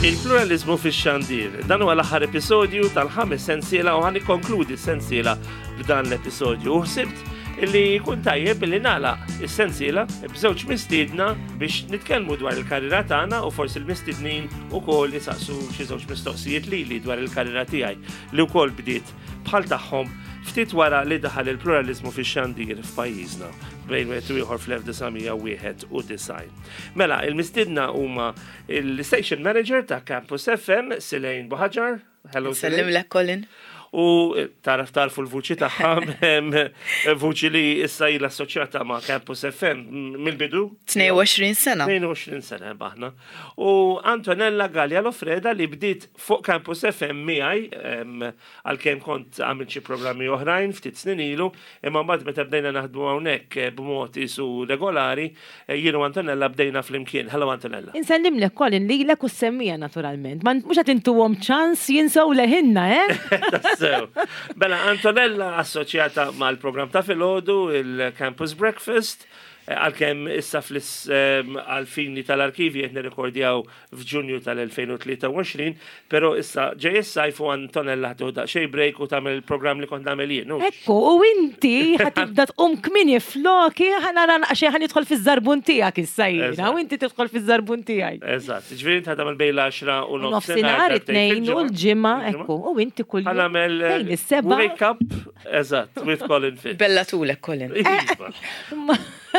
Il-pluralizmu fix-xandir. Dan huwa l-aħħar episodju tal-ħames sensiela u ħan ikkonkludi s-sensiela b'dan l-episodju. U ħsibt li jkun tajjeb li nagħlaq is-sensiela b'żewġ mistiedna biex nitkellmu dwar il-karriera tagħna u forsi l-mistednin ukoll isaqsu xi żewġ mistoqsijiet lili dwar il-karriera tiegħi li wkoll bdiet bħal tagħhom ftit wara li daħal il-pluralizmu fix-xandir f'pajjiżna bejn wieħed u ieħor fl-1991. Mela, il-mistiedna huma il-station manager ta' Campus FM, Silejn Buħaġar. Hello, Sellim lek, Colin. U taraf tarfu l-vuċi tagħha, vuċi li issa ilha assoċjata ma' Campus FM mill-bidu. 22 sena. 22 sena baħna. U Antonella Gallia Lofreda li bdiet fuq Campus FM miegħi għalkemm kont għamilt xi programmi oħrajn ftit snin ilu, imma mbagħad meta bdejna naħdmu hawnhekk eh, b'mod isu regolari, eh, jien u Antonella bdejna flimkien. Hello Antonella. Insellimlek Colin lilek u s-semmija naturalment. Ma mhux qed intuhom ċans jinsew leħinna, eh? Tassew. Bella Antonella assoċjata mal-programm ta' filgħodu il-Campus Breakfast, eh, għalkemm issa fl għal-fini tal-arkivi qed nirrekordjaw f'Ġunju tal-2023, però issa ġej is-sajf u Antonella ħa tieħu daqsxejn break u tagħmel il-programm li kont nagħmel jien. Ekku, u inti ħa tibda tqum kmieni floki ħa nara naqxejn ħa nidħol fiż-żarbun tiegħek issa jiena u inti tidħol fiż-żarbun tiegħi. Eżatt, ġifieri inti ħa tagħmel bejn l-10 u nofsinhar it-tnejn u l-ġimgħa, ekku, u inti kull. Ħa nagħmel bejn is-sebgħa. Wake up, eżatt, with Colin Fitz. Bella tulek Colin. Iva.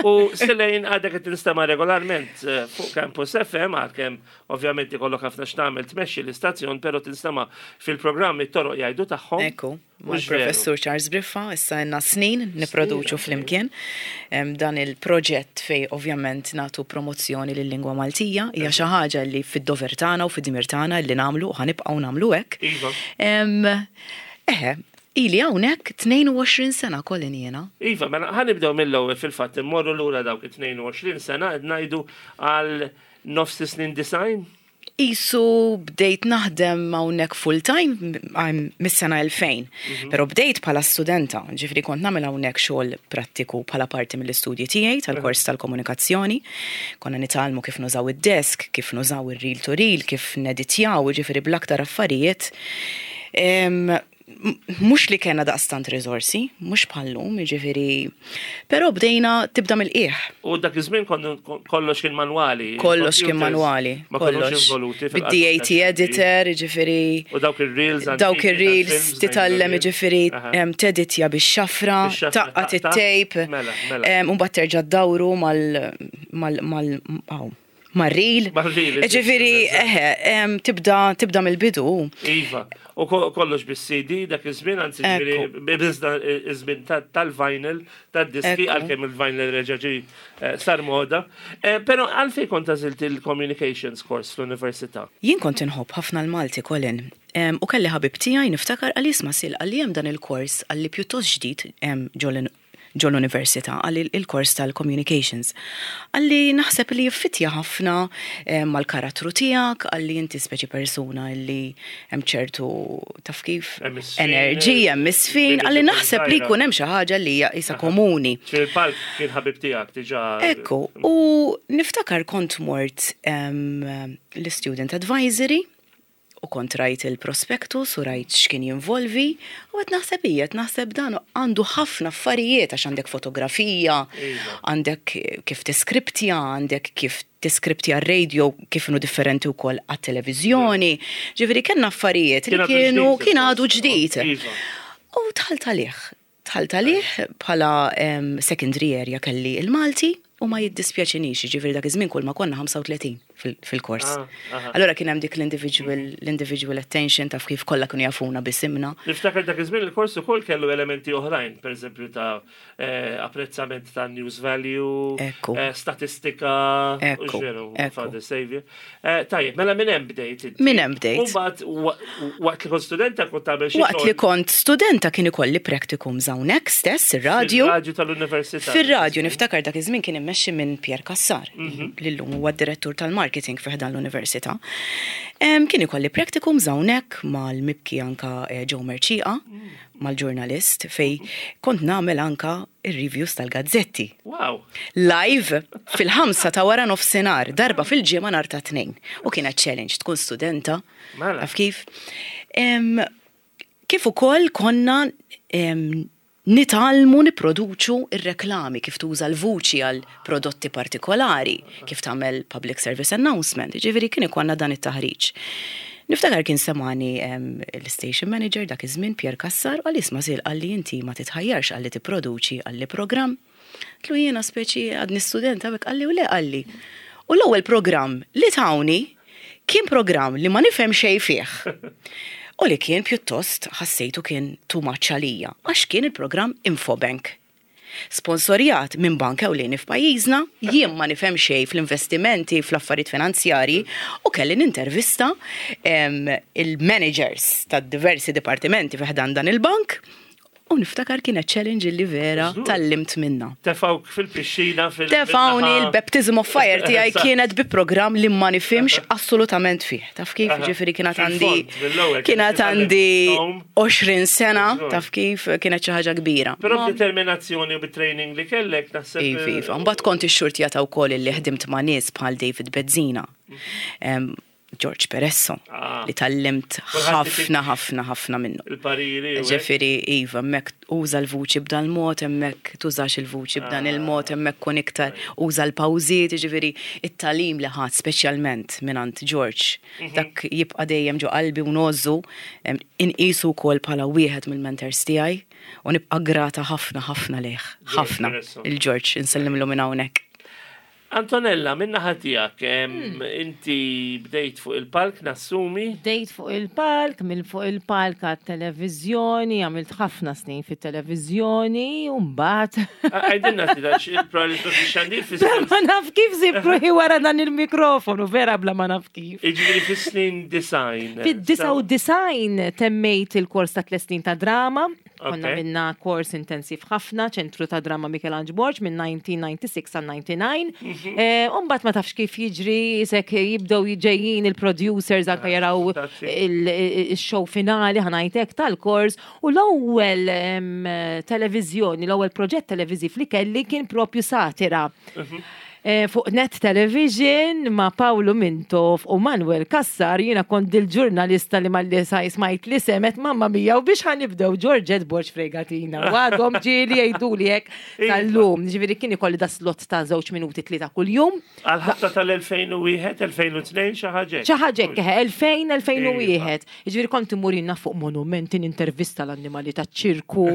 U Silejn għadek qed tinstema' regolarment eh, fuq Campus FM għalkemm ovvjament ikollok ħafna x'tagħmel tmexxi l-istazzjon, però tinstema' fil-programm it-toroq jgħidu tagħhom. Ekku, mal-professur Charles Briffa, issa għandna snin nipproduċu flimkien dan il-proġett fej ovvjament nagħtu promozzjoni lil-lingwa Maltija, hija xi ħaġa li fid-dover tagħna u fid-dmir tagħna li nagħmlu u ħanibqgħu nagħmlu hekk. Iva. Eħe, Ili hawnhekk 22 sena Colin jiena. Iva, mela ħa nibdew mill-ewwel fil-fatt immorru lura dawk it-22 sena qed ngħidu għal nofs is-snin 90? Qisu bdejt naħdem hawnhekk full time mis-sena 2000. Mhm. Però bdejt bħala studenta, ġifieri kont nagħmel hawnhekk xogħol prattiku bħala parti mill-istudji tiegħi tal-kors tal-komunikazzjoni. Konna nitgħallmu kif nużaw id-desk, kif nużaw ir-reel to reel, kif neditjaw, ġifieri bl-aktar affarijiet Mhux li kellna daqstant riżorsi, mhux bħal-lum, jiġifieri, però bdejna tibda mill-qiegħ. U dak iż-żmien kollox kien manwali. Kollox kien manwali. Ma kollox involuti. Bid-DAT editor, jiġifieri. U dawk ir-reels. Dawk ir-reels titgħallem jiġifieri teditja bix-xafra, tgħaqqad it-tape. Mela, mela. U mbagħad terġa' ddawru mal mal mal Mar-ril. Mar-ril. Ġifieri, eħe, tibda tibda mill-bidu. Iva. U kollox bis-CD dak iż-żmien, anzi ġifieri biżda iż-żmien tal-vinyl, tad-diski, għalkemm il-vinyl reġa' ġie eh, sar moda. Eh, però għalfejn kont għażilt il-communications course fl-università? Jien kont inħobb ħafna l-Malti, Colin. U kelli ħabib tiegħi niftakar qalli isma' Sil qalli hemm dan il-kors qalli pjuttost ġdid ġol ġol-università, qalli il-kors tal-communications. Qalli naħseb li jiffittja ħafna eh, mal-karattru tiegħek, qalli inti speċi persuna li hemm ċertu taf kif enerġija, hemm isfin, qalli naħseb li jkun hemm xi ħaġa li hija isa komuni. Fil-palk kien ħabib tiegħek diġà. Ekku, u niftakar kont mort l-student advisory U kont rajt il-prospectus u rajt x'kien jinvolvi u qed naħseb hija, qed naħseb dan għandu ħafna affarijiet għax għandek fotografija, għandek kif tiskriptja, għandek kif tiskriptja r-radio kif inhu differenti wkoll għat-televiżjoni. Ġifieri kellna affarijiet li kienu kien għadu ġdid. U dħalt għalih. Dħalt għalih bħala secondary area kelli il-Malti u ma jiddispjaċinix, jiġifieri dak iż-żmien kull ma konna 35 fil-kors. Ah, Allura kien hemm dik l-individual l-individual attention taf kif kollha kienu jafuna bisimna. Niftakar dak iż-żmien il-kors ukoll kellu elementi oħrajn, pereżempju ta' eh, apprezzament ta' news value, eh, statistika, Ekku. Father Savior. Eh, tajjeb, mela minn hemm bdejt. Minn hemm bdejt. U mbagħad waqt li kont studenta kont tagħmel xi Waqt li kont studenta kien ikolli practicums hawnhekk stess ir-radju. Fir-radju tal-università. Fir-radju niftakar dak iż-żmien kien immexxi minn Pierre Cassar, mhm. li llum huwa d-direttur tal-marketing fi ħdan l-università. Kien ikolli practicums hawnhekk mal-mibki anka eh, Joe Merċieqa. Mm. mal-ġurnalist fej kont nagħmel anka ir-reviews tal-gazzetti. Wow. Live fil-5 ta' wara nofsinhar, darba fil-ġimgħa nhar ta' Tnejn. U kienet challenge tkun studenta. Mela. Taf kif? Kif ukoll konna nitgħallmu nipproduċu r-reklami, kif tuża l-vuċi għal prodotti partikolari, kif tagħmel public service announcement, jiġifieri kien ikollna dan it-taħriġ. Niftakar kien semani l-station manager dak iż-żmien Pierre Cassar u qalli isma' Sil qalli inti ma titħajjarx qalli tipproduċi qalli programm. Għedtlu jiena speċi għadni studenta hawnhekk qalli u le qalli. U l-ewwel programm li tawni kien programm li ma nifhem xejn fih. U li kien pjuttost ħassejtu kien too much għalija, għax kien il-programm Infobank. Sponsorjat minn bank ewlieni f'pajjiżna, jien ma nifhem xejn fl-investimenti, fl-affarijiet finanzjarji, u kelli nintervista il-managers tad-diversi dipartimenti fi ħdan dan il-bank. U niftakar kienet challenge li vera tgħallimt minnha. Tefgħuk fil-pixxina fil. Tefgħuni l-baptism of fire tiegħi kienet bi programm li ma nifhimx assolutament fih. Taf kif? Ġifieri kienet għandi kienet għandi 20 sena, taf kif kienet xi ħaġa kbira. Però b'determinazzjoni u bit-training li kellek naħseb. Iva, iva. Mbagħad kont ixxurtjata wkoll illi ħdimt ma' nies bħal David Bezzina. George Peresso ah. li tallimt ħafna ħafna ħafna minnu. Il-pariri. Ġifieri iva, hemmhekk uża l-vuċi b'dan mod, hemmhekk tużax il-vuċi b'dan ah. il-mod, hemmhekk kun iktar uża l-pawżiet, ġifieri it-talim li ħadd speċjalment mingħand George. Dak jibqa' dejjem ġo qalbi u ngħożżu, inqisu wkoll bħala wieħed mill-mentors tiegħi u nibqa' grata ħafna ħafna lejh. Ħafna. Il-George, insellimlu minn hawnhekk. Antonella, minn naħa tiegħek, inti bdejt fuq il-palk nassumi? Bdejt fuq il-palk, minn fuq il-palk għat-televiżjoni, għamilt ħafna snin fit-televiżjoni, u mbagħad. Għidilna ftit għax il-probabbli xandir fi Bla ma naf kif sib ruħi wara dan il-mikrofonu, vera bla ma naf kif. Jiġifieri fis-snin design. Fid-99 temmejt il-kors ta' tliet snin ta' drama. Konna minna kors intensiv ħafna, ċentru ta' drama Michelangelo Borg minn 1996 sa 99. Mhm. Eh, Umbat ma tafx kif jiġri, isek jibdew ġejjin il-producers anka jaraw il-show finali ħanajtek tal-kors u l-ewwel televizjoni, l-ewwel proġett televiżiv li kelli kien propju satira. Mhm. Eh, fuq Net Television ma' Paolo Mintoff u Manuel Cassar jiena kont dil-ġurnalista li malli smajt li semet mamma mia u biex ħanibdew Georgette Borg Fregatina. U għadhom ġieli jgħiduli hekk iva. tal-lum. Ġifieri kien ikolli da slot ta' żewġ minuti tlieta kuljum. Għal-ħabta tal-2001, 2002 xi ħaġa. Xi ħaġa 2000, 2001. Iva. Jiġifieri kont immur jiena fuq monumenti nintervista l-annimali taċ-ċirku,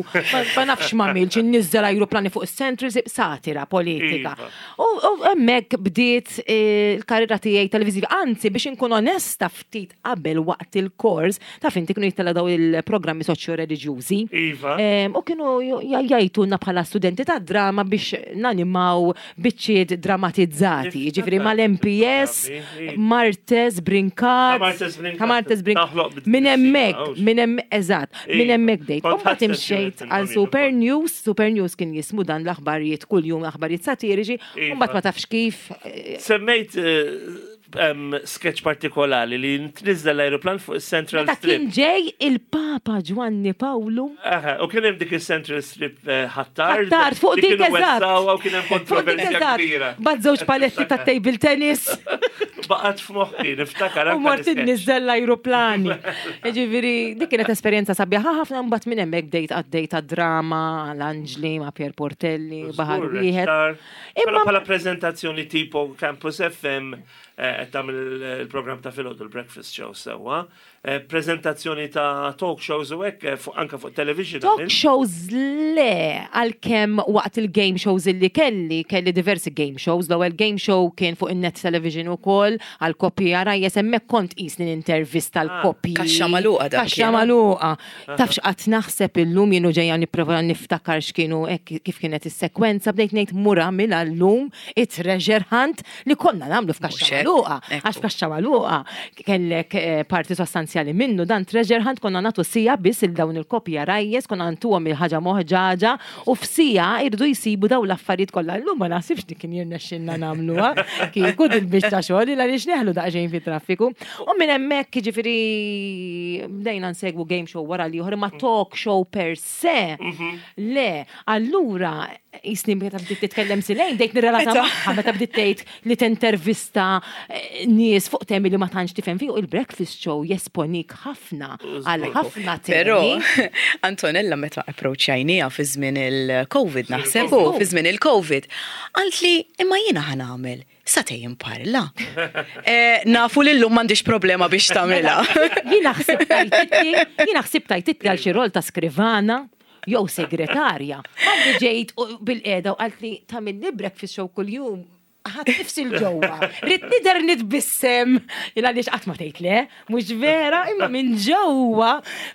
ma nafx m'għamilx, inniżżel ajruplani fuq is-Central, satira politika. Iva. U hemmhekk bdiet eh, l-karriera tiegħi televiżiva. Anzi, biex inkun onesta ftit qabel waqt il-kors, taf inti kienu jittella daw il-programmi soċjo-reliġjużi. Iva. U kienu jgħajtuna bħala studenti ta' drama biex nanimaw biċċiet dramatizzati, jiġifieri mal-MPS, Martes, Brincat, Martes Brincat. Minn hemmhekk, minn hemm eżatt, minn hemmhekk bdejt. U mbagħad imxejt għal Super News, Super News kien jismu dan l-aħbarijiet kuljum aħbarijiet satiriċi, u mbagħad ma tafx kif. Eh, Semmejt eh, sketch partikolari li tniżżel l-aeroplan fuq il-Central Strip. Kien ġej il-Papa Ġwanni Pawlu. U kien hemm dik il-Central Strip eh, ħattar. Ħattard fuq dik eżatt. U kien hemm kontroversja kbira. Bad żewġ paletti ta' table tennis. Baqgħet f'moħħi niftakar. U mort inniżżel l-ajruplani. Ġifieri dik kienet esperjenza sabiħa ħafna mbagħad minn hemmhekk bdejt għaddej ta' drama l-Anġli ma' Pier Portelli, Baħar Wieħed. Imma bħala prezentazzjoni tipo Campus FM eh, qed tagħmel il-programm ta' filgħodu l-breakfast show sewwa. Eh, prezentazzjoni ta' talk shows u hekk eh, anke fuq television. Talk shows le, għalkemm waqt il-game shows illi kelli, kelli diversi game shows. L-ewwel game show kien fuq in-net television ukoll għal koppji għarajjes hemmhekk kont qisni nintervista ah, l-koppji. Kaxxa magħluqa dak. Kaxxa magħluqa. Taf x'qatt naħseb illum jien u ġejja nipprova niftakar x'kienu hekk kif kienet is-sekwenza bdejt ngħid mur għamilha llum it-treasure hunt li konna nagħmlu f'kaxxa magħluqa. Magħluqa. Għax f'kaxxa magħluqa kellek eh, parti sostanzjali minnu dan treasure hunt konna nagħtu sija biss il dawn il-kopja rajjes, konna ntuhom il-ħaġa moħġaġa u f'sija irdu jsibu dawn l-affarijiet kollha. Illum ma naħsibx li kien jirnexxilna nagħmluha kieku dil-biċċa xogħol il għaliex neħlu daqsxejn fit-traffiku. U minn hemmhekk jiġifieri bdejna nsegwu game show wara l-ieħor imma talk show per se. Le, allura jisni meta bdiet titkellem Silejn, bdejt nirrelata magħha meta bdiet tgħid li tintervista eh, nies fuq temi li ma tantx tifhem fih il-breakfast show jesponik ħafna għal ħafna temi. Però Antonella meta approachajnija fi żmien il-Covid naħseb u fi żmien il-Covid, qalt li imma jiena ħa nagħmel satej imparla. Eh, nafu li llum m'għandix problema biex tagħmilha. Jiena ħsibt tajtitli, jiena ħsibt tajtitli għal xi rol ta' skrivana jew segretarja. Għalli ġejt bil-qeda u qalt li tagħmilli breakfast show kuljum ħadd nifsi l-ġewwa. Rrid nidher nitbissem. Il għaliex qatt ma tgħid le, mhux vera, imma minn ġewwa.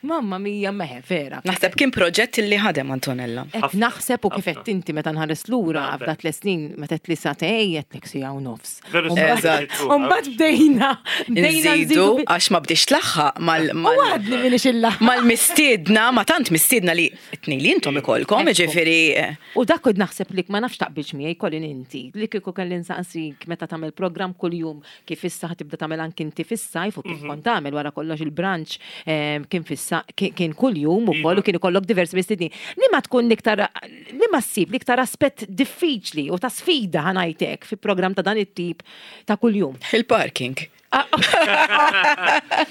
Mamma mia meħe vera. Naħseb kien proġett li ħadem Antonella. Qed naħseb u kif qed inti meta nħares lura f'da tliet snin meta qed li satej qed siegħa u nofs. Eżatt. U mbagħad bdejna bdejna Nżidu għax ma bdiex tlaħħaq mal U għadni minix il-laħħaq. mal-mistiedna, ma tant mistiedna li tnej li intom ikolkom, ġifieri. U dak kont naħseb li ma nafx taqbilx miegħi Colin inti, li kieku kelli nsaqsik meta tagħmel programm kuljum kif issa ħa tibda tagħmel anki inti fis-sajf u kif kont tagħmel wara kollox il-brunch kien fissa kien kuljum ukoll u kien ikollok diversi mistednin. Liema tkun l-iktar liema ssib l-iktar aspett diffiċli u ta' sfida ħa ngħid hekk fi programm ta' dan it-tip ta' kuljum? Il-parking.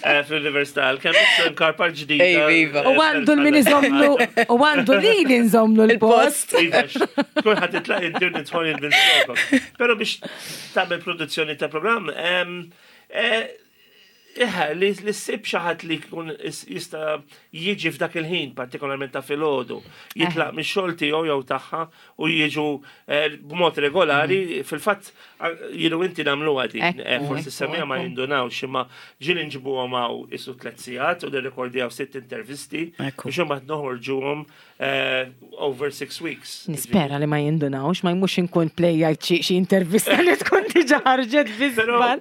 Eh, Fl-Università, kemm karpa ġdida. Iva. U għandu l-min iżomlu, u għandu li li nżomlu l-post. Iva, kulħadd itlaq id-dir nidħol il-bil Pero biex tagħmel produzzjoni ta' programm, eh, Iħa, li ssib xi ħadd li jkun jista' jiġi f'dak il-ħin, partikolarment ta' filgħodu, jitlaq mix-xogħol tiegħu jew tagħha u jiġu eh, b'mod regolari, mhm. fil-fatt jienu inti nagħmluha din, eh, forsi semija ma jindunawx imma ġieli nġibuhom hawn isu tliet sigħat u nirrekordjaw sitt intervisti biex imbagħad noħorġuhom Eh, over six weeks. Nispera li ma jindunawx, ma jmux inkun plejjajt xi intervista li tkun diġa ħarġet biżbal.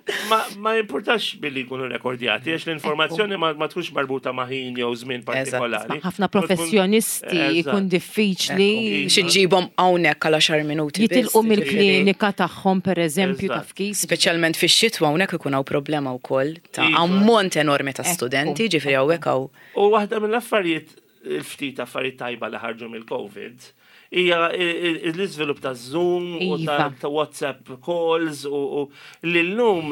Ma importax billi jkunu rekordjati, għax l-informazzjoni ma tkunx marbuta ma' ħin jew żmien partikolari. Ħafna professjonisti jkun diffiċli. Xi ġibhom hawnhekk għal 10 minuti. Jitilqu mill-klinika tagħhom pereżempju taf kif. Speċjalment fix-xitwa hawnhekk ikun hawn problema wkoll ta' iva. ammont enormi ta' studenti, ġifieri hawnhekk hawn. U waħda mill-affarijiet il-ftit affarijiet tajba li ħarġu mill-Covid hija l-iżvilupp ta' Zoom u ta' iva. WhatsApp calls u li llum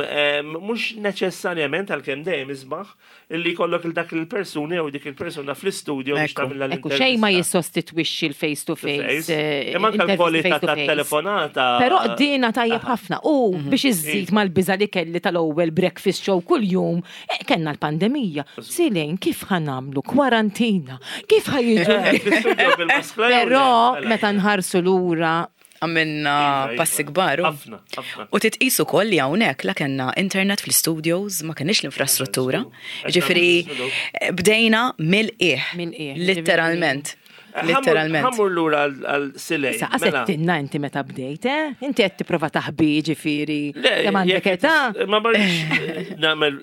mhux neċessarjament għalkemm dejjem isbaħ li jkollok il dak il-persuni jew dik il-persuna fl-istudio biex tagħmilha l Xejn ma jissostitwixxi l-face to face. Eh, Imma anke l-kwalità tat-telefonata. Però dina tajjeb ħafna u mhm. biex iżżid iva. mal-biża li kelli tal-ewwel breakfast show kuljum Eh, kellna l-pandemija. Silejn, kif ħa nagħmlu kwarantina? Kif ħa jiġu? Eh, Però mela. meta nħarsu lura għamilna iva, iva. passi kbar. U titqis ukoll li hawnhekk la kellna internet fl-studios, ma kenniex l-infrastruttura. Ġifieri bdejna mill-qiegħ. Literalment. Literalment. Ħammur lura għal silej. Sa qasettinna inti meta bdejt, eh? Inti qed tipprova taħbi ġifieri. Kemm għandek età? Ma marriċ nagħmel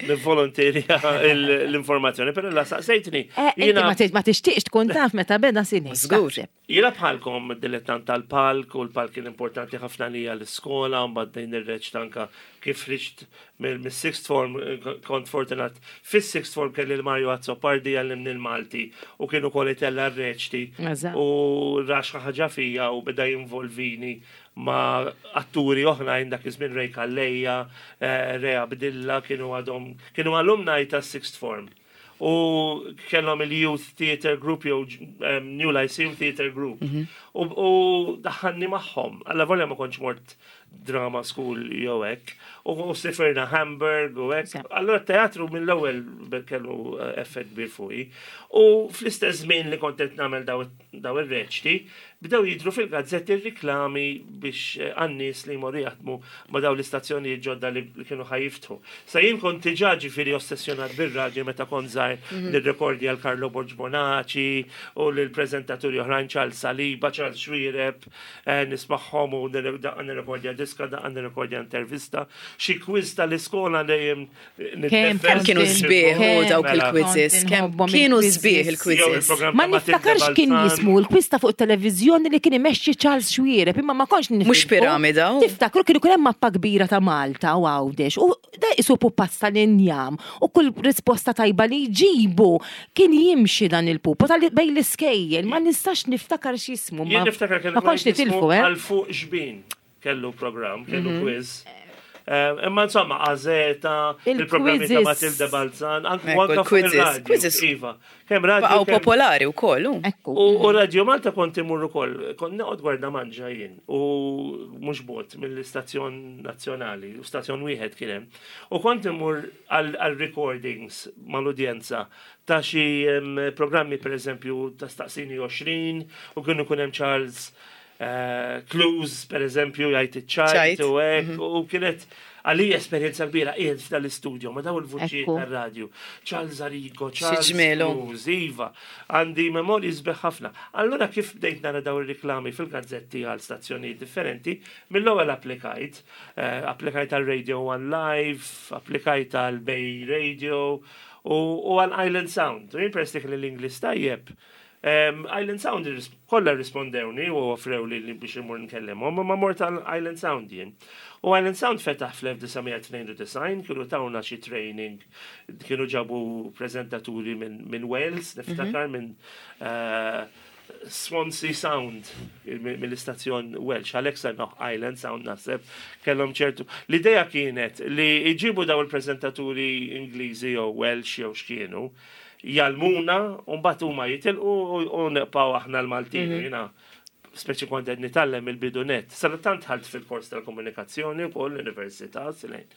nivvolonterja l-informazzjoni, però la saqsejtni. Eh, ma tixtieqx tkun taf meta beda silej. Żgur. Jiena bħalkom dilettant tal-palk u l-palk kien importanti ħafna lija l-iskola, mbagħad bdejn nirreċta anka kif ħriġt mis-sixth form kont fortunat fis-sixth form kelli l-Mario Azzopardi jgħallimni l-Malti u kien ukoll itella' r-reċti u ra xi ħaġa fija u beda jinvolvini ma' atturi oħrajn dak iż-żmien Ray Calleja, eh, Ray Abdilla kienu għadhom kienu alumni tas-sixth form. U kellhom il-Youth Theatre Group jew New Lyceum Theatre Group. Mhm. U daħħalni magħhom. Alla volja ma kontx mort drama school jew hekk. U sifirna Hamburg u hekk. Allura teatru mill-ewwel kellu eh, effett kbir fuqi. U fl-istess żmien li kont qed nagħmel daw ir-reċti, bdew jidhru fil-gazzetti r-riklami biex eh, għan-nies li jmorru jaħdmu ma' dawn l-istazzjonijiet ġodda li kienu ħa jiftħu. Sa jien kont diġà ġifieri ossessjonat bir-radju meta kont żgħir mhm. nirrekordja l Carlo Borg Bonaci u lill-preżentaturi oħrajn Charles Saliba, Charles Xuereb, eh, nismagħhom u nirrekordja diska, daqqa nirrekordja intervista, xi quiz tal-iskola dejjem Kemm kienu sbieħ u dawk Mela. il-quizzes, kemm kienu sbieħ il-quizzes. Ma niftakarx kien jismu l-quiz ta' fuq televizjoni li kien imexxi Charles Xuereb, imma ma kontx niftakru. Mhux piramida, u? Tiftakru kienu kien hemm mappa kbira ta' Malta u Għawdex u da isu pupazz tal-injam u kull risposta tajba li jġibu kien jimxi dan il-pupu tal bejn l-iskejjel, ma nistax niftakar x'jismu. Jien niftakar kellu ma kontx nitilfu, eh? Għal fuq xbin kellu program, kellu quiz. Imma insomma, Għazeta, il-programmi ta' Il-quizzes. Matilde Balzan, anke Ekku, anke fuq il-quizzes, il-radio. quizzes. Iva, kemm radio. Baqgħu kemm- popolari wkoll, u. Ekku. U Radio Malta kont imur ukoll, kont noqgħod gwarda manġa jien u mhux bot mill-istazzjon nazzjonali, u stazzjon wieħed kien hemm. U kont imur għal recordings mal-udjenza ta' xi programmi pereżempju ta' Staqsini 20 u kienu kun hemm Charles Clues pereżempju jgħid iċ-ċajt Ċajt. u hekk u kienet għalija esperjenza kbira qiegħed f'dal-istudio ma' daw il-vuċijiet Ekku. tar-radju. Charles Arrigo, Charles ġmielu. Clues, Iva, għandi memorji sbeħ ħafna. Allura kif bdejt nara daw ir-riklami fil-gazzetti għal stazzjonijiet differenti, mill-ewwel applikajt, applikajt għal Radio One Live, applikajt għal Bay Radio u għal Island Sound. U jien peress li kelli l-Ingliż tajjeb. Island Sound kollha rispondewni u offrew li li biex imur nkellimhom, ma mort għal Island Sound jien. U Island Sound fetaħ fl-1992, kienu tawna xi training, kienu ġabu prezentaturi minn Wales, niftakar minn Swansea Sound mill-istazzjon Welsh, għalhekk semmew Island Sound naħseb kellhom ċertu. L-idea kienet li jġibu daw il-prezentaturi Ingliżi jew Welsh jew x'kienu, jgħallmuna u mbagħad huma jitilqu u nibqgħu aħna l-Maltin, jiena speċi kont qed nitgħallem il-bidunet. Sadattant ħalt fil-kors tal-komunikazzjoni wkoll l-università, silejn.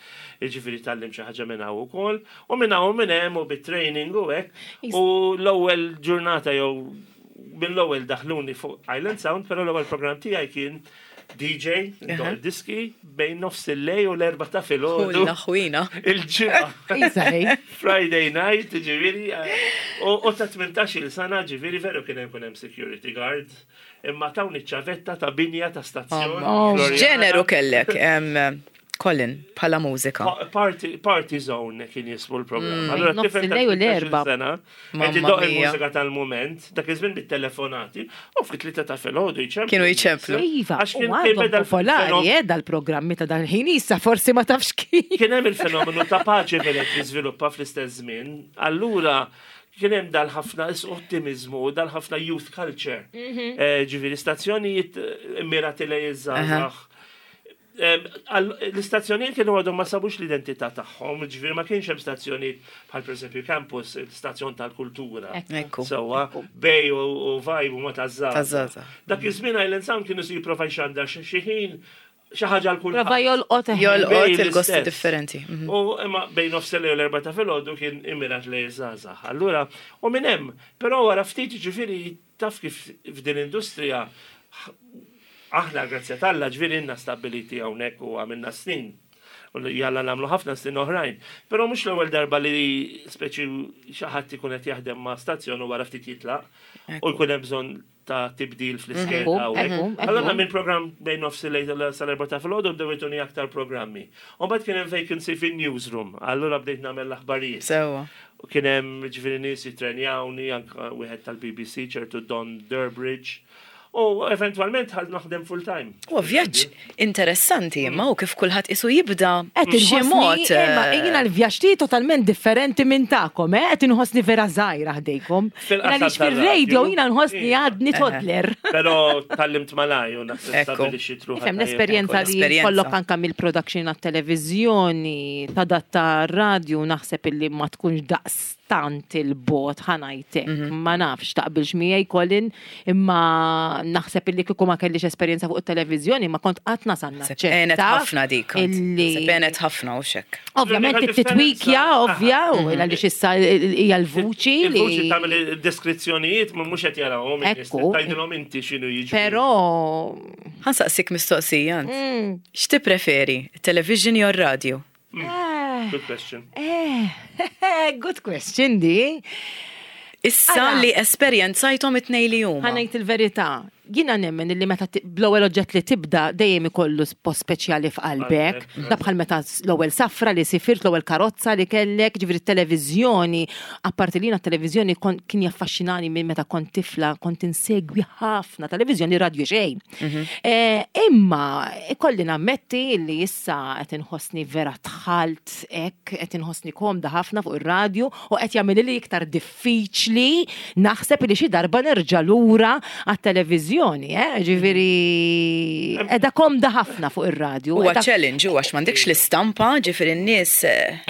Jiġifieri tgħallim xi ħaġa minn hawn ukoll, u minn hawn u minn hemm u bit-training u hekk. U l-ewwel ġurnata jew mill-ewwel daħluni fuq Island Sound, però l-ewwel programm tiegħi kien DJ, ndoq diski, bejn nofs il-lej u l-erba ta' filgħodu. Ħulna ħwina. Il-ġimgħa. Iżaj. Friday night, ġiviri, u ta' 18 sena, ġiviri, veru kien hemm hemm security guard, imma tawni ċavetta ta' binja ta' stazzjon. Floriana. Ġeneru kellek, Colin, bħala mużika. Party, party Zone kien jismu l-programm. Allora, Nofs tifel ta' il-lejl u 18 l-erba. sena, Mamma qed idoq mia. il-mużika tal-moment, dak iż-żmien bit-telefonati, u fit-tlieta ta' filgħodu jċemplu. Kienu jċemplu. Iva, Għax u kien għadhom beda popolari, l-fenomenu- dal-programmi ta' dal-ħin issa forsi ma tafx kif. Kien hemm il-fenomenu ta' paċi velet li żviluppa fl-istess żmien. Allura kien hemm dal-ħafna ottimizmu u dal-ħafna youth culture. Ġifieri stazzjonijiet immirati lejn iż-żgħażagħ. L-istazzjonijiet kienu għadhom ma sabux l-identità tagħhom, ġifieri ma kienx hemm stazzjonijiet bħal pereżempju campus, il-stazzjon tal-kultura. Ekku. Sewwa, Bay u Vibe u ma taż-żgħażagħ. Taż-żgħażagħ. Dak iż-żmien Island Sound kienu si jipprova jxandar xi ħin xi ħaġa għal kulħadd. Prova jolqot eħe. Jolqot Bej il-gosti l-istess. differenti. U imma bejn nofs u l-erba ta' filgħodu kien immirat lejn żgħażagħ. Allura, u minn hemm, però wara ftit ġifieri taf kif f'din industrija aħna grazzja t'Alla ġifieri inna stabiliti hawnhekk u għamilna snin. U li jalla nagħmlu ħafna snin oħrajn. Però mhux l-ewwel darba li speċi xi ħadd ikun qed jaħdem ma' stazzjon u wara ftit jitlaq u jkun hemm bżonn ta' tibdil fl-iskeda. Ekku, u hekk. ekku, ekku. Allura minn program bejn nofs il-lejl sal-erba ta' filgħodu bdew jtuni aktar programmi. U mbagħad kien hemm vacancy fin-newsroom, allura bdejt nagħmel l-aħbarijiet. Sewwa. U kien hemm ġifieri nies jittrenjawni, anke wieħed tal-BBC ċertu Don Durbridge. U eventwalment ħad naħdem full time. U vjaġġ interessanti imma u kif kulħadd isu jibda Qed b'xi inħossni, mod. imma jiena l-vjaġġ tiegħi totalment differenti minn tagħkom, eh? Qed inħossni vera żgħira ħdejkom. Fil-qasam Għaliex tar-radju. fir-radio jiena nħossni Iva. għadni toddler. Però tallimt malaj u naħseb Ekku. stabilixxi truħa. Ifhem l-esperjenza li L-esperjenza. kollok anka mill-production għat-televiżjoni, tadatta radio naħseb illi ma tkunx daqstant il-bot ħanajtek. Ma nafx taqbilx miegħi Colin, imma naħseb illi kieku ma kellix esperjenza fuq it-televiżjoni ma kont qatt nasal Naħseb għenet naċċetta. ħafna dik. kont. Illi Naħseb għenet ħafna u xek. Ovvjament L-unika titwikja, differenza- ovvja, u għaliex issa hija l-vuċi li. Il-vuċi tagħmel id-deskrizzjonijiet ma mhux qed jarawhom in-nies, Ekku. tgħidilhom inti x'inhu jiġri. Però Ħansaqsik mistoqsija. ant. X'ti preferi, television jew radio? Good question. Eh, good question di. Issa Ara. li esperjenzajthom it-tnej li huma. Ħanajt il-verità. Jiena nemmen li meta bl-ewwel oġġett li tibda dejjem ikollu post speċjali f'qalbek. Da bħal meta l-ewwel safra li sifirt, l-ewwel karozza li kellek, ġifieri t-televiżjoni, apparti li jiena t-televiżjoni kien jaffaxxinani minn meta kont tifla, kont insegwi ħafna televiżjoni, radju xejn. Imma ikolli nammetti li issa qed inħossni vera dħalt hekk, qed inħossni komda ħafna fuq ir-radju u qed jagħmilli li iktar diffiċli naħseb li xi darba nerġa' lura għat-televiżjoni, eh? Ġifieri qiegħda komda ħafna fuq ir-radju. Huwa challenge huwa għax m'għandekx l-istampa, ġifieri n-nies.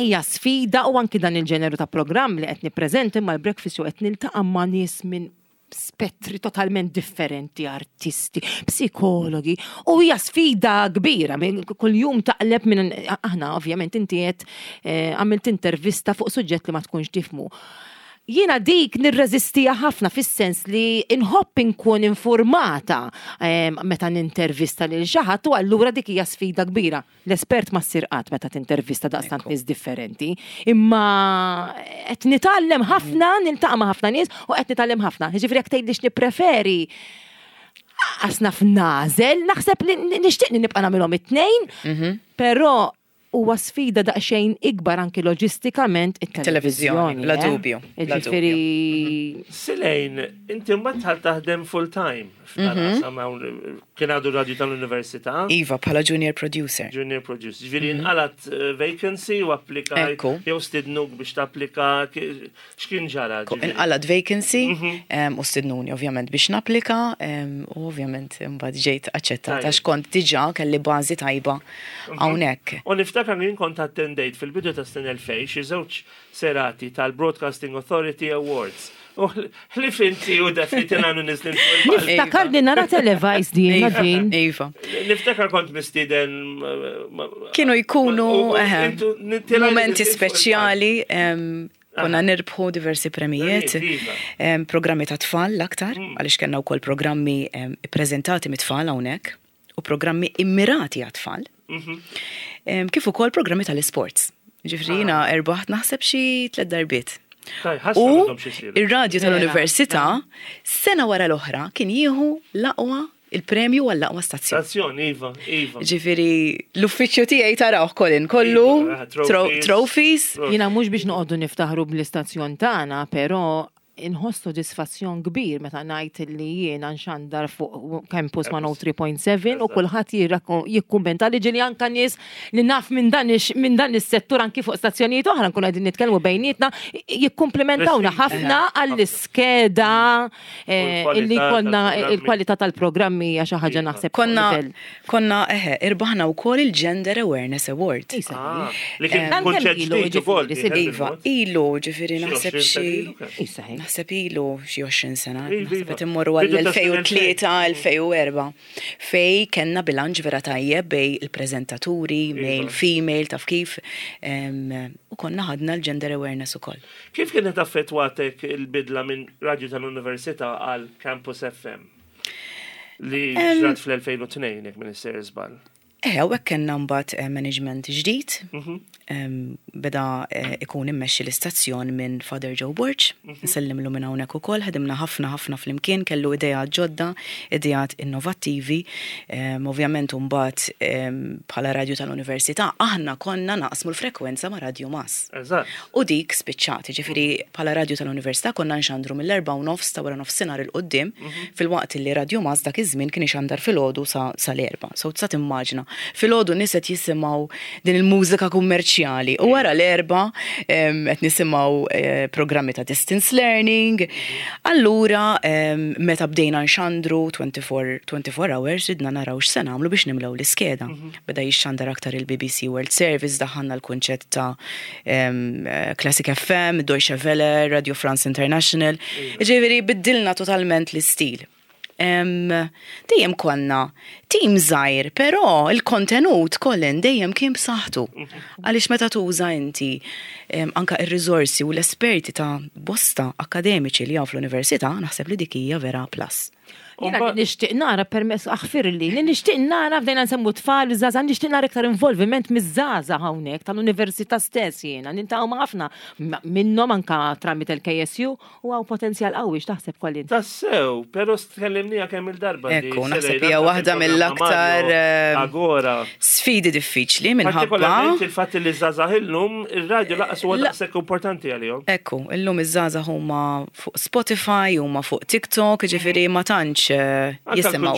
Hija sfida u anki dan il-ġeneru ta' programm li qed nippreżenti imma l-breakfast show qed niltaqa' ma' nies minn spettri totalment differenti, artisti, psikologi, u hija sfida kbira, kuljum taqleb minn aħna ovvjament inti qed eh, għamilt intervista fuq suġġett li ma tkunx tifmu. Jiena dik nirreżistija ħafna fis-sens li inħobb inkun informata eh, meta nintervista lil xi ħadd u allura dik hija sfida kbira. L-espert ma ssir qatt meta tintervista daqstant nies differenti, imma qed nitgħallem ħafna, niltaqa' ma' ħafna nies u qed nitgħallem ħafna. Jiġifieri jekk tgħidli x'nippreferi, qas naf nagħżel, naħseb li nixtieq li nibqa' nagħmilhom it-tnejn, però huwa sfida daqsxejn ikbar anki loġistikament it-televiżjoni. Bla dubju. Jiġifieri. Silejn, inti mbagħad dħalt taħdem full time. Mhm. Kien għadu radju tal-università. Iva, bħala junior producer. Junior producer. Ġifieri mhm. nqalat eh, vacancy u applika. Jew stidnuk biex tapplika x'kien ġara. Inqalat vacancy mhm. u stidnuni ovvjament biex napplika u ovvjament mbagħad ġejt aċċettata għax kont diġà kelli bażi tajba hawnhekk. U niftakar li kont attendejt fil-bidu ta' snin 2000 xi żewġ serati tal-Broadcasting Authority Awards. U ħlif inti u Daphne tilgħanu niżlin fuq il-palk. Niftakar li nara televised jiena din. Iva. Niftakar kont mistieden. Kienu jkunu momenti speċjali konna nirbħu diversi premijiet, iva. programmi ta' tfal l-aktar, mm. għaliex kellna wkoll programmi ippreżentati mit-tfal hawnhekk u programmi immirati għat-tfal, mhm. kif ukoll programmi tal-isports. Ġifri jiena ah. erbaħt naħseb xi tliet darbiet. U ir-radju tal-università sena wara l-oħra kien jieħu l-aqwa il-premju għall-aqwa stazzjon. Stazzjon, iva, iva. Ġifiri, l-uffiċċju tiegħi tarawh Colin kollu iva, trophies. Jiena mhux biex noqogħdu niftaħru bl-istazzjon tagħna, però Inħoss sodisfazzjon kbir meta ngħid li jiena nxandar fuq Campus 103.7 u kulħadd jikkummenta li ġieli anka nies li naf minn dan minn dan is-settur anki fuq stazzjonijiet oħra nkunu qegħdin nitkellmu bejnietna jikkumplimentawna ħafna għall-iskeda eh, illi konna il-kwalità tal-programmi hija xi ħaġa naħseb. Konna Konna, eħe, irbaħna wkoll il-Gender Awareness Award. Ah, li kien kunċett ġdid ukoll. Iva, ilu, ġifieri naħseb xi. Naħseb ilu xi 20 sena. Naħseb qed immorru għall-2003, 2004. Fej kellna bilanċ vera tajjeb bej il-preżentaturi, male, female, taf kif. U konna ħadna l-Gender Awareness ukoll. Kif kienet affettwatek il-bidla minn radju tal-Università għal Campus FM? Li ġrat fl-2002, jekk minn sejjer żball. Eh, hawnhekk kellna mbagħad eh, management ġdid. Mhm. Beda eh, ikun immexxi l-istazzjon minn Father Joe Borg, mhm. nsellimlu minn hawnhekk ukoll, ħedimna ħafna ħafna flimkien, kellu ideat ġodda, ideat innovattivi. Ovvjament mbagħad bħala radju tal-università aħna konna naqsmu l-frekwenza ma' Radju Mas. U dik spiċċat, jiġifieri bħala radju tal-Università konna nxandru mill-erbgħa u nofs ta' wara nofsinhar 'il quddiem, filwaqt li Radju Mas dak iż-żmien kien ixandar filgħodu sa sal-erbgħa. So tista' timmaġina, filgħodu nies qed jisimgħu din il-mużika kummerċjali u wara l-erbgħa qed nisimgħu programmi ta' distance learning. Allura meta bdejna nxandru 24 24 hours ridna naraw x'se nagħmlu biex nimlew l-iskeda. Beda jixxandar aktar il-BBC World Service, daħħalna l-kunċett ta' Classic FM, Deutsche Welle, Radio France International. Ġifieri biddilna totalment l-istil. Dejjem konna tim żgħir, però il-kontenut Colin dejjem kien b'saħħtu. Għaliex meta tuża inti anka ir-riżorsi u l-esperti ta' bosta akademiċi li hawn fl-università, naħseb li dik hija vera plus. Jiena nixtieq nara permess aħfirli, li nixtieq nara bdejna nsemmu tfal żgħażagħ, nixtieq nara iktar involviment miż-żgħażagħ hawnhekk tal-università stess jiena, niltaqgħu ma' ħafna minnhom anka tramite l-KSU u hawn potenzjal qawwi x'taħseb Colin? Tassew, però tkellimniha kemm il-darba. Ekku, naħseb hija waħda mill-aktar eh, Agora. sfidi diffiċli minħabba. Partikolarment il-fatt li żgħażagħ illum ir-radju laqas huwa daqshekk importanti għalihom. Ekku, illum iż-żgħażagħ huma fuq Spotify, huma fuq TikTok, ġifieri ma tantx eh, jisimgħu.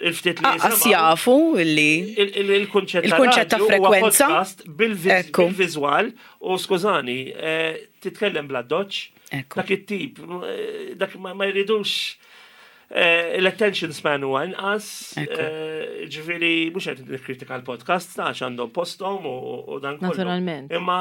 Il-ftit li Aqas jafu li il-kunċett ta' frekwenza bil-viżwal u skużani, eh, titkellem bla doċ. Dak it-tip, eh, dak ma jridux l-attention span huwa inqas, ġifieri mhux qed nikkritika l-podcast għax għandhom posthom u dan kollu. Naturalment. Imma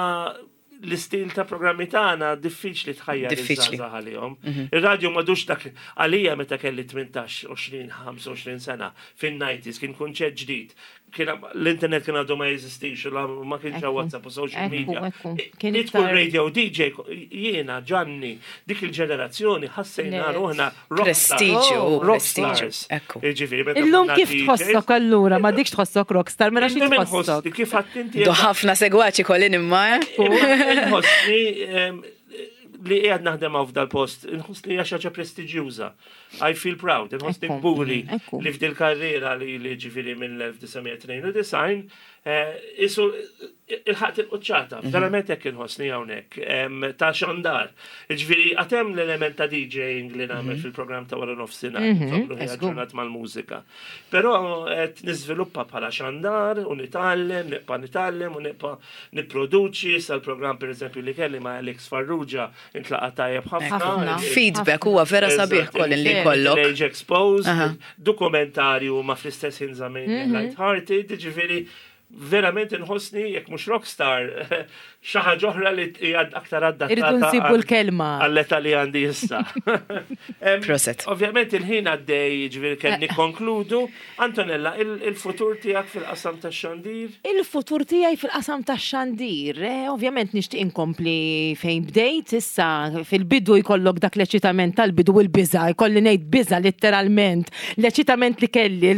l-istil ta' programmi tagħna diffiċli tħajjar Diffiċli. iż-żgħażagħ għalihom. Ir-radju m'għadux dak għalija meta kelli 18, 20, 25 sena fin-90s kien kunċett ġdid. Kien l-internet kien għadu ma jeżistix u ma kienx hawn WhatsApp u social media. Kien Li tkun radio DJ jiena Ġanni dik il-ġenerazzjoni ħassejna ruħna Prestiġju, rock stars. Ekku. Illum kif tħossok allura, ma dikx tħossok rockstar, mela xi tħossok? Kif għattinti? Do ħafna segwaċi kolin imma. Eh? Inħossni li qiegħed naħdem hawn f'dal-post, inħossni hija xi ħaġa prestiġjuża. I feel proud, inħossni kburi li f'dil karriera li li ġifieri mill-1992 eh, isu il-ħaqt il-quċċata, mhm. verament hekk inħossni hawnhekk, ta' xandar. Ġifieri għatem l-element ta' DJing li nagħmel mhm. fil-programm ta' wara nofsinhar, mhm, ġurnat mal-mużika. Però qed niżviluppa bħala xandar u nitgħallem, nibqa' nitgħallem u nibqa' nipproduċi sal-programm pereżempju li kelli ma' Alex Farrugia intlaqa' tajjeb ħafna. Feedback huwa vera sabiħ kollin li jkollok. Age Exposed, dokumentarju ma fl-istess ħin żamejn light-hearted, ġifieri verament inħossni jekk mhux rockstar xi ħaġa oħra li hija aktar adattata. Irridu nsibu l-kelma. Għall-età li għandi issa. Proset. Ovvjament il-ħin għaddej, ġifieri kemm eh. nikkonkludu. Antonella, il-futur tiegħek fil-qasam tax-xandir? Il-futur tiegħi fil-qasam tax-xandir, eh, ovvjament nixtieq inkompli fejn bdejt issa fil-bidu jkollok dak l-eċitament tal-bidu u l-biża, jkolli ngħid biża letteralment, l-eċitament li kelli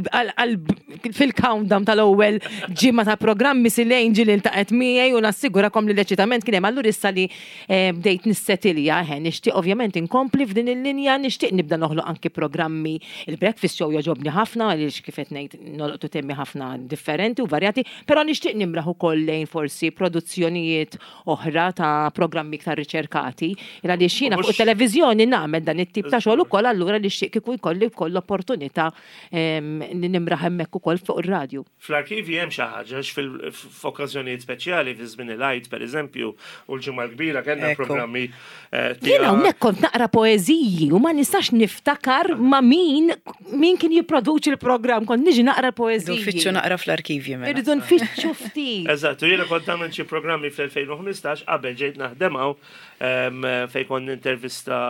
fil-countdown tal-ewwel ġimgħa ta' programm Miss Elaine ġieli ltaqgħet miegħi u nassigurakom li l-eċitament kien hemm. Allura issa li eh, bdejt nissetilja, eh, nixtieq ovvjament inkompli f'din il-linja, nixtieq nibda noħloq anki programmi. Il-breakfast show jogħġobni ħafna għaliex kif qed ngħid nolqtu temmi ħafna differenti u varjati, però nixtieq nimraħ ukoll lejn forsi produzzjonijiet oħra ta' programmi iktar riċerkati. Għaliex jiena fuq it-televiżjoni nagħmel dan it-tip ta' xogħol ukoll allura nixtieq kieku jkolli wkoll l-opportunità li nimraħ hemmhekk ukoll fuq ir-radju. Fl-arkivji hemm xi ħaġa għax f'okkażjonijiet speċjali fi żmien il-Għid pereżempju u l-Ġimgħa l-Kbira kellna programmi eh, Jien hawnhekk kont naqra poeżiji u ma nistax niftakar ma' min min kien jipproduċi l-programm, kont niġi naqra poeżiji. Irridu nfittxu naqra fl-arkivji mela. Irridu nfittxu ftit. Eżatt, u jiena kont nagħmel xi programmi fl-2015 qabel ġejt naħdem hawn fejn kont nintervista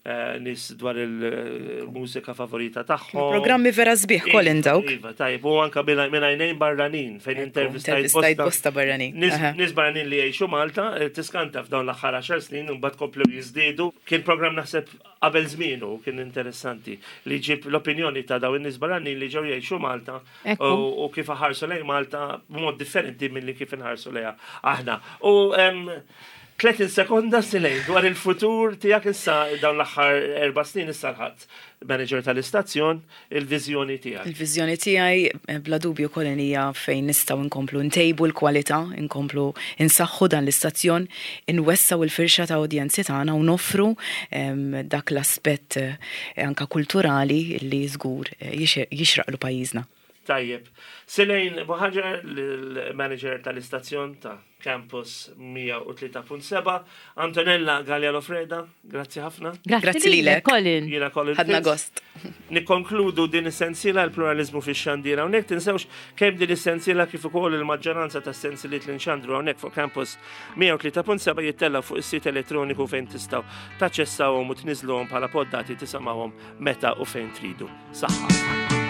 Eh, nis dwar il-mużika favorita tagħhom. Programmi vera sbieħ Colin dawk. Iva, tajb, u anka minn għajnejn barranin fejn intervistajt bosta barranin. Nis barranin li jgħixu Malta, eh, tiskanta f'dawn l-aħħar 10 snin u mbagħad komplew jiżdiedu. Kien programm naħseb qabel żmienu kien interessanti li ġib l-opinjoni ta' dawn in-nies barranin li ġew jgħixu Malta u kif ħarsu lejn Malta b'mod differenti milli kif inħarsu lejha aħna. U 30 sekonda Silej dwar il-futur tiegħek issa dawn l-aħħar erba' snin issa l-ħadd manager tal-istazzjon, il-viżjoni tiegħek. Il-viżjoni tiegħi eh, bla dubju Colin hija fejn nistgħu nkomplu ntejbu l-kwalità, nkomplu nsaħħu dan l-istazzjon, inwessaw il-firxa ta' udjenzi tagħna u noffru ehm, dak l-aspett eh, anka kulturali li żgur eh, jixraqlu pajjiżna. Tajjeb. Silejn Buħaġar, l-manager tal-istazzjon ta' Campus 103.7, Antonella Galea Lofreda, grazzi ħafna. Grazzi lilek. Colin. Jiena Colin. Ħadna gost. Nikkonkludu din is-sensiela l-pluralizmu fix-xandir hawnhekk tinsewx kemm din is-sensiela kif ukoll il-maġġoranza tas-sensiliet li nxandru hawnhekk fuq Campus 103.7 jittella' fuq is-sit elettroniku fejn tistgħu taċċessawhom u tniżluhom bħala poddati tisimgħuhom meta u fejn tridu. Saħħa.